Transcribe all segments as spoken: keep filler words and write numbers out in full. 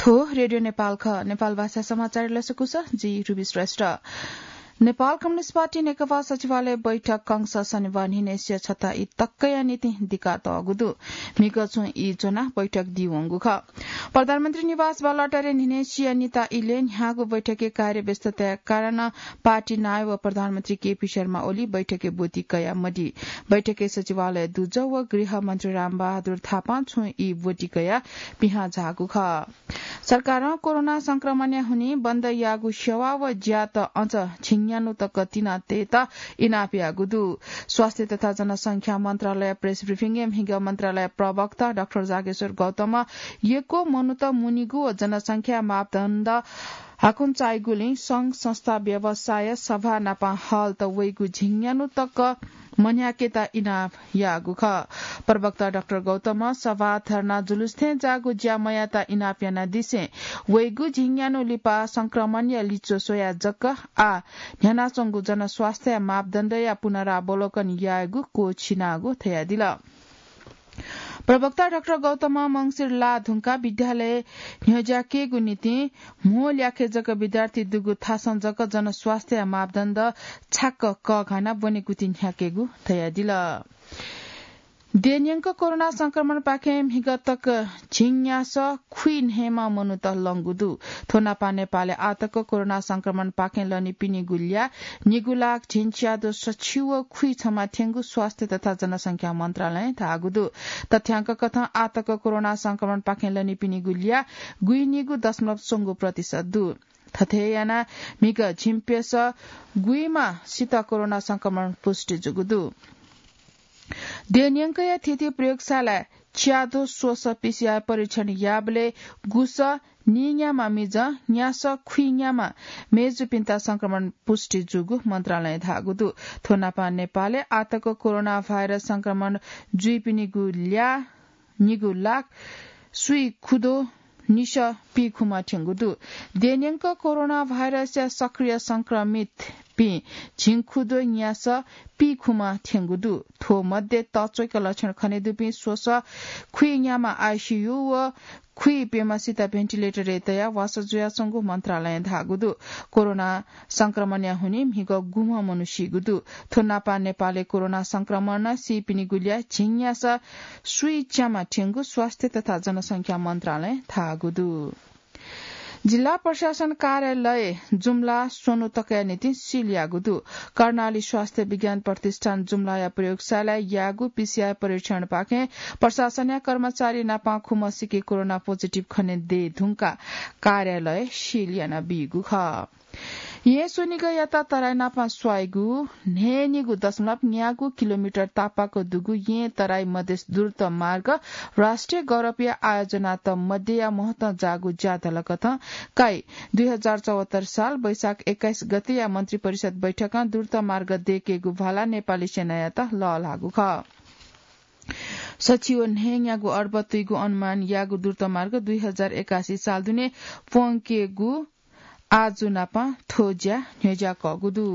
थ्व रेडियो नेपाल खः। नेपाल भाषा समाचार लसकुस, जि रुबी श्रेष्ठ। नेपाल कम्युनिस्ट पार्टी नेकपा सचिवालय बैठक कंस शनिबार न्हिनय् स्यं छता ई तकया निंतिं दिका तःगु दु। म्हिगः छुं ई ज्वनाः बैठक दीवंगु खः। प्रधानमन्त्री निवास बालुवाटारय् न्हिनय् स्यं निता इलय् न्ह्याःगु बैठकय् कार्यव्यस्तताया कारणं पार्टी नायः व प्रधानमन्त्री केपी शर्मा ओली बैठकय् ब्वति कयामदी। बैठकय् सचिवालय दुजः व गृह मन्त्री रामबहादुर थापां छुं ई ब्वति कयाः पिहां झाःगु खः। सरकारं कोरोना संक्रमणया हुनिं बन्द याःगु सेवा व ज्यात अझ झिंन्यान्हु तक तिना तयेत इनाप याःगु दु। स्वास्थ्य तथा जनसंख्या मन्त्रालय प्रेस ब्रिफिङय् म्हिगः मन्त्रालय प्रवक्ता डाक्टर जागेश्वर गौतमं यक्व मनूत मुनीगु व जनसंख्या मापदण्ड हाकुन्चाइगुलिं संघ संस्था, व्यवसाय, सभा नापं हलत वइगु झिंन्यान्हु तक मन्ह्याकेत इनाप याःगु खः। प्रवक्ता डाक्टर गौतमं सभा, धर्ना, जुलुस थें जाःगु ज्या मयायेत इनाप यानादिसें वइगु झिंन्यान्हु लिपा संक्रमणया लिच्वः स्वयाः जक आः न्ह्यानाच्वंगु जनस्वास्थ्य मापदण्डया पुनरावलोकन यायेगु क्वःछिनागु धयादिल। प्रवक्ता डाक्टर गौतमं मंसिर लाः धुंकाः विद्यालय न्ह्यज्याकेगु निंतिं म्हो ल्याखय् जक विद्यार्थी दुगु थासं जक जनस्वास्थ्य मापदण्ड छाक्क कःघानाः ब्वनेकुथि न्ह्याकेगु धयादिल। देय्‌न्यंक कोरोना संक्रमणपाखें म्हिगः तक झिंन्यासः खुइन्हय् मा मनूत लंगु दु। थ्व नापं नेपालय् आःतक कोरोना संक्रमणपाखें लनीपिनिगु ल्याः निगू लाख झिंच्यादँ सछि व खुइछम्ह थ्यंगु स्वास्थ्य तथा जनसंख्या मन्त्रालयं धाःगु दु। तथ्यांक कथं आःतक कोरोना संक्रमणपाखें लनीपिनिगु ल्याः गुइनिगू दशमलव स्वंगू प्रतिशत दु। थथे यानाः म्हिगः झिंप्यसः गुइमासित कोरोना संक्रमण पुष्टि जूगु दु। देय्‌न्यंकया थीथी प्रयोगशालाय् च्याद्वः स्वसः पीसीआर परीक्षण याःबलय् गुसः नीन्याम्ह मिजं, न्यासः खुइन्याम्ह मय्‌जुपिन्त संक्रमण पुष्टि जूगु मन्त्रालयं धाःगु दु। थ्व नापं नेपालय् आःतक कोरोना भाइरस संक्रमण जुइपिनिगु ल्याः निगू लाख स्वीखुद्वः निसः पीखुम्ह थ्यंगु दु। देय्‌न्यंक कोरोना भाइरसया सक्रिय संक्रमितपिं झिंखुद्वः न्यासः पीखुम्ह थ्यंगु दु। थ्व मध्ये तःच्वय्‌क लक्षण खनेदुपिं स्वसः खुइन्याम्ह आइसीयू व खुइप्यम्हसित भेन्टिलेटरय् तयाः वासः जुयाच्वंगु मन्त्रालयं धाःगु दु। कोरोना संक्रमणया हुनिं म्हिगः गुम्ह मनू सीगु दु। थ्व नापं नेपालय् कोरोना संक्रमणं सीपिनिगु ल्याः झिंन्यासः स्वीच्याम्ह थ्यंगु स्वास्थ्य तथा जनसंख्या मन्त्रालयं धाःगु दु। जिल्ला प्रशासन कार्यालय जुम्ला स्वन्हु तकया निंतिं सिल याःगु दु। कर्णाली स्वास्थ्य विज्ञान प्रतिष्ठान जुम्लाया प्रयोगशालाय् याःगु पीसीआर परीक्षणपाखें प्रशासनया कर्मचारी नापं खुम्हसिके कोरोना पोजिटिभ खने दये धुंकाः कार्यालय सिल यानाबीगु खः। येँ स्वनिगःयात तराई नापं स्वाइगु न्हय्‌निगू दशमलव न्यागू किलोमिटर तापाक दुगु येँ तराई मधेस द्रुत मार्ग राष्ट्रिय गौरवया आयोजनात मध्यया महत्वं जाःगु ज्याधलकथं काइ दुई हजार चौहत्तर साल वैशाख एक्काइस गतेया मन्त्री परिषद बैठकं द्रुत मार्ग दयेकेगु भाला नेपाली सेनायात लःल्हाःगु खः। सछि व न्हय्‌न्यागू अर्ब तुइगु अनुमान याःगु द्रुत मार्ग दुई हजार एकासी साल दुने प्वंकेगु आजु नापं थ्व ज्या न्ह्यज्याकःगु दु।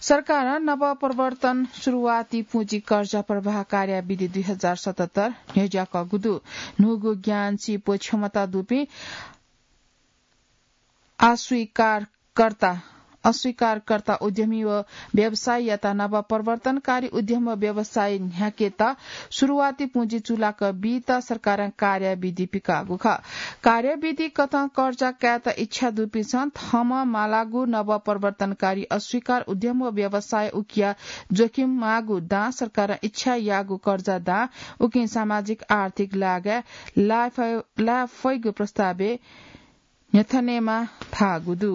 सरकारं नवप्रवर्तन सुरुवाती पुँजी कर्जा प्रवाह कार्याविधि दुई हजार सतहत्तर न्ह्यज्याकःगु दु। न्हूगु ज्ञान, सिप व क्षमता दुपिं अस्वीकारकर्ता, अस्वीकारकर्ता उद्यमी व व्यवसायीयात नवप्रवर्तनकारी उद्यम व व्यवसाय न्ह्याकेत सुरुवाती पुँजी चूलाक बीत सरकारं कार्याविधि पिकाःगु खः। कार्याविधि कथं कर्जा कायेत इच्छा दुपिन्सं थःम्हं मालागु नवप्रवर्तनकारी अस्वीकार उद्यम व व्यवसाय उकिया जोखिम माःगु दां सरकारं इच्छा याःगु कर्जा दां उकिं सामाजिक आर्थिक लागाय् लाय् फय्-, लाय् फइगु प्रस्तावय् न्ह्यथनेमा धाःगु दु।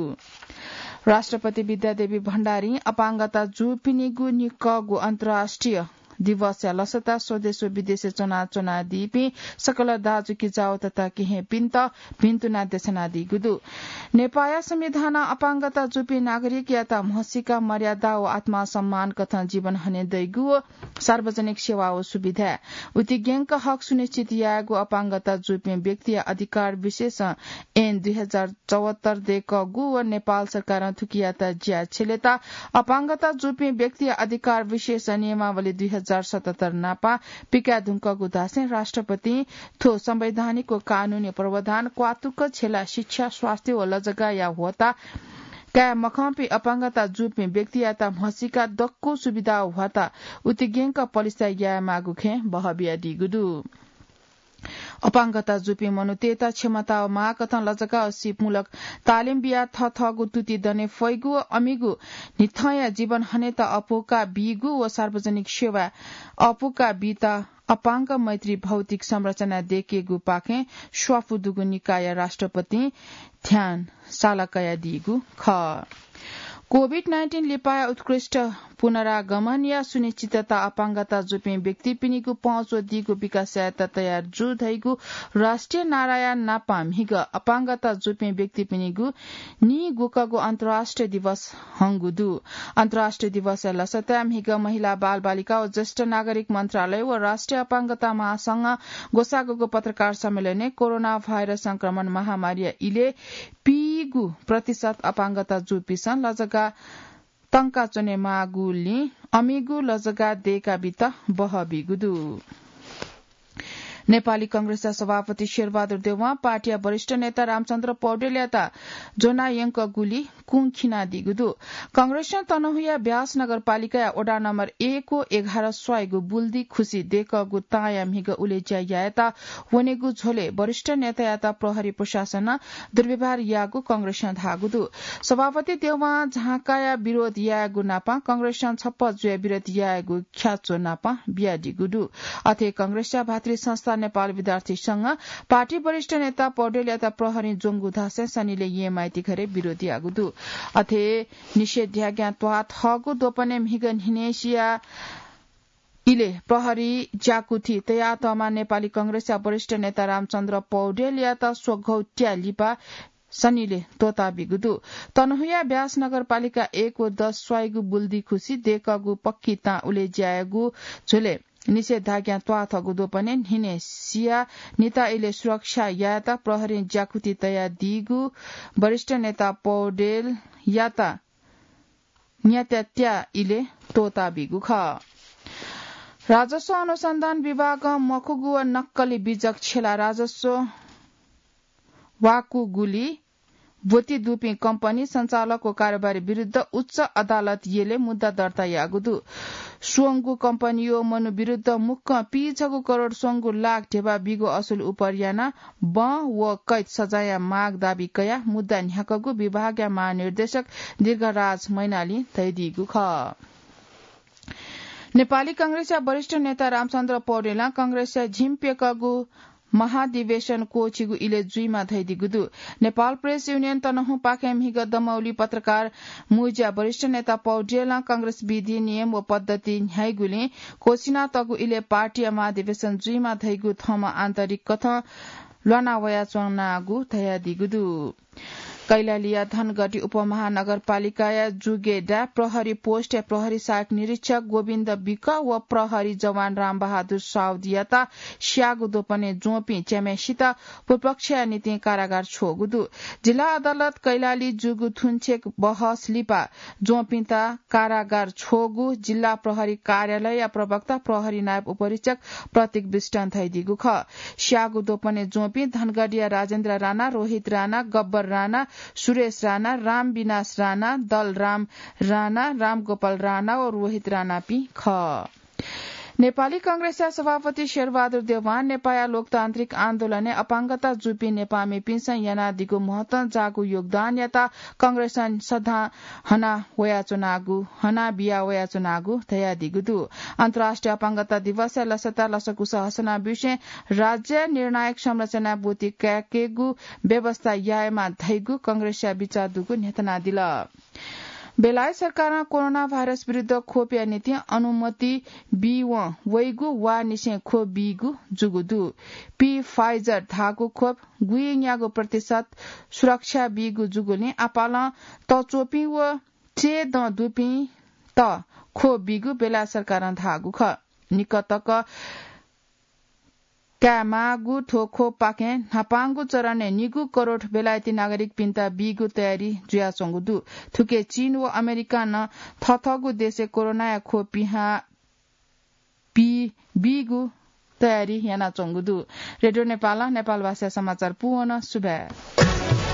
राष्ट्रपति विद्यादेवी भण्डारीं अपाङ्गता जूपिनिगु निकःगु अन्तर्राष्ट्रिय दिवसया लसता स्वदेश व विदेशय् च्वनाच्वनादीपिं सकल दाजुकिजाउ तथा केहेँपिन्त भिन्तुना देछानादीगु दु। नेपाःया संविधानं अपाङ्गता जूपिं नागरिकयात म्हसीका मर्यादा व आत्मसम्मान कथं जीवन हने दइगु व सार्वजनिक सेवा व सुविधा उतिग्यंक हक सुनिश्चित यायेगु अपाङ्गता जूपिं व्यक्तिया अधिकार विशेषं ऐन दुई हजार चौहत्तर दय्‌कःगु व नेपाल सरकारं थुकियात ज्या छ्यलेत अपाङ्गता जूपिं व्यक्तिया अधिकार विशेष नियमावली दुई हजार हजार सतहत्तर नापा पिकाये धुंकूगु धासें राष्ट्रपतिं थ्व संवैधानिक व कानूनी प्रावधान क्वातुक झेला शिक्षा, स्वास्थ्य व लजगाःया ह्वःता काये मखंपिं अपाङ्गता जूपिं व्यक्तियात म्हसीका दक्व सुविधा व ह्वःता उतिग्यंक पलिस्था यायेमाःगु खँय् बहः बियादीगु दु। अपाङ्गता जूपिं मनूतय्त क्षमता व माःकथं लजगाः व सिपमूलक तालिम बियाः थःथःगु तुति दने फइगु व अमिगु न्हिथंया जीवन हनेत अपुका बीगु व सार्वजनिक सेवा अपुका बीत अपाङ्ग मैत्री भौतिक संरचना दयेकेगुपाखें स्वापू दुगु निकायया राष्ट्रपतिं ध्यान साला कयादीगु खः। कोभिड नाइन्टिन लिपाया उत्कृष्ट पुनरागमनया सुनिश्चितता अपाङ्गता जूपिं व्यक्तिपिनिगु पहुँच वःदीगु विकास यायेत तयार जू धइगु राष्ट्रिय नाराया नापं म्हिगः अपाङ्गता जूपिं व्यक्तिपिनिगु नीगुकगु अन्तर्राष्ट्रिय दिवस हंगु दु। अन्तर्राष्ट्रिय दिवसया लसताय् म्हिगः महिला, बालबालिका व ज्येष्ठ नागरिक मन्त्रालय व राष्ट्रिय अपाङ्गता महासंघं ग्वसाःगु पत्रकार सम्मेलनय् कोरोना भाइरस संक्रमण महामारीया इलय् पीगु प्रतिशत अपाङ्गता जूपिसं लजगाः तंका च्वनेमाःगुलिं अमिगु लजगाः दयेका बीत बहः बीगु दु। नेपाली कांग्रेसया सभापति शेरबहादुर देउवां पार्टीया वरिष्ठ नेता रामचन्द्र पौडेलयात ज्वना यंकूगुलिं कुंखिनादीगु दु। कांग्रेसं तनहुँया ब्यास नगरपालिकाया वडा नम्बर एक व एघार स्वाइगु बुल्दी खुसी दयेकूगु तांया म्हिगः उलेज्या यायेत वनेगु झ्वलय् वरिष्ठ नेतायात प्रहरी प्रशासनं दुर्व्यवहार याःगु कांग्रेसं धाःगु दु। सभापति देउवां झांकाया विरोध यायेगु नापं कांग्रेसं छप्पँ जुयाः विरोध यायेगु ख्याच्वः नापं बियादीगु दु। अथे कांग्रेसया भातृ संस्था नेपाल विद्यार्थी संघं पार्टी वरिष्ठ नेता पौडेलयात प्रहरीं ज्वंगु धासें सनिलय् येँ माइती घरय् विरोध याःगु दु। अथे निषेधाज्ञा त्वाःथःगु द्वपनय् म्हिगः न्हिनेसिया इलय् प्रहरीं ज्याकुथि तयातःम्ह नेपाली कांग्रेसया वरिष्ठ नेता रामचन्द्र पौडेलयात स्वघौ त्या लिपा सनिलय् त्वःताबीगु दु। तनहुँया ब्यास नगरपालिका एक व दस स्वाइगु बुल्दी खुसी दयेकूगु पक्की तां उलेज्या याःगु झ्वलय् निषेधाज्ञा त्वाःथःगु द्वपनय् न्हिनेसिया निता इलय् सुरक्षा यायेत प्रहरीं ज्याकुथि तयादीगु वरिष्ठ नेता पौडेलयात न्यात्यात्या इलय् त्वःताबीगु खः। राजस्व अनुसन्धान विभागं मखुगु व नक्कली बिजक छ्यलाः राजस्व वाकूगुलिं ब्वति दुपिं कम्पनी सञ्चालक व कारोबारी विरुद्ध उच्च अदालत यलय् मुद्दा दर्ता याःगु दु। स्वंगू कम्पनी व मनू विरुद्ध मुक्कं पीछगू करोड स्वंगू लाख ध्यबा बीगु असुल उपर यानाः बं व कैद सजायया माग दाबी कयाः मुद्दा न्ह्याकूगु विभागया महानिर्देशक दीर्घराज मैनालीं धयादीगु खः। नेपाली कांग्रेसया वरिष्ठ नेता रामचन्द्र पौडेलं कांग्रेसया झिंप्यकःगु महाधिवेशन क्वःछिगु इलय् जुइमा धयादीगु दु। नेपाल प्रेस युनियन तनहुँपाखें म्हिगः दमौली पत्रकार मुँज्या वरिष्ठ नेता पौडेलं कांग्रेस विधि नियम व पद्धति न्ह्याइगुलिं क्वःछिनातःगु इलय् पार्टीया महाधिवेशन जुइमा धइगु थःम्हं आन्तरिक कथं ल्वाना वयाच्वनागु धयादीगु दु। कैलालीया धनगढी उपमहानगरपालिकाया जुगेडा प्रहरी पोस्टया प्रहरी सहायक निरीक्षक गोविन्द विक व प्रहरी जवान रामबहादुर साउदयात स्याःगु द्वपनय् ज्वंपिं च्याम्हय्सित पुपक्षया निंतिं कारागार छ्वःगु दु। जिल्ला अदालत कैलाली जूगु थुन्चेक बहस लिपा ज्वंपिन्त कारागार छ्वःगु जिल्ला प्रहरी कार्यालयया प्रवक्ता प्रहरी नायब उपरीक्षक प्रतीक विष्टं धयादीगु खः। स्याःगु द्वपनय् ज्वंपिं धनगढीया राजेन्द्र राणा, रोहित राणा, गब्बर राणा, सुरेश राणा, रामविनाश राणा, दलराम राणा, रामगोपाल राणा व रोहित राणापिं खः। नेपाली कांग्रेसया सभापति शेरबहादुर देउवां नेपाःया लोकतान्त्रिक आन्दोलनय् अपाङ्गता जूपिं नेपाःमिपिन्सं यानादीगु महत्वं जाःगु योगदानयात कांग्रेसं सदां हना वयाच्वनागु, हना बिया वयाच्वनागु धयादीगु दु। अन्तर्राष्ट्रिय अपाङ्गता दिवसया लसताय् लसकुस हसना ब्यूसें राज्य निर्णायक संरचनाय् ब्वति कायेकेगु व्यवस्था यायेमा धइगु कांग्रेसया बिचाः दुगु न्ह्यथनादिल। बेलायत सरकारं कोरोना भाइरस विरुद्ध खोपया निंतिं अनुमति बीवं वइगु वा निसें खोप बीगु जूगु दु। Pfizer धाःगु खोप गुइन्यागू प्रतिशत सुरक्षा बीगु जूगुलिं आपालं तच्वःपिं व चय्दँ दुपिन्त खोप बीगु बेलायत सरकारं धाःगु खः। निकतक कायेमाःगु थ्व खोपपाखें न्हापांगु चरणय् निगू करोड बेलायती नागरिकपिन्त बीगु तयारी जुयाच्वंगु दु। थुकी चीन व अमेरिकां नं थःथःगु देशय् कोरोनाया खोप पिहां बी बीगु तयारी यानाच्वंगु दु। रेडियो नेपालं नेपालभाषा समाचार पूवन। सुभाय्।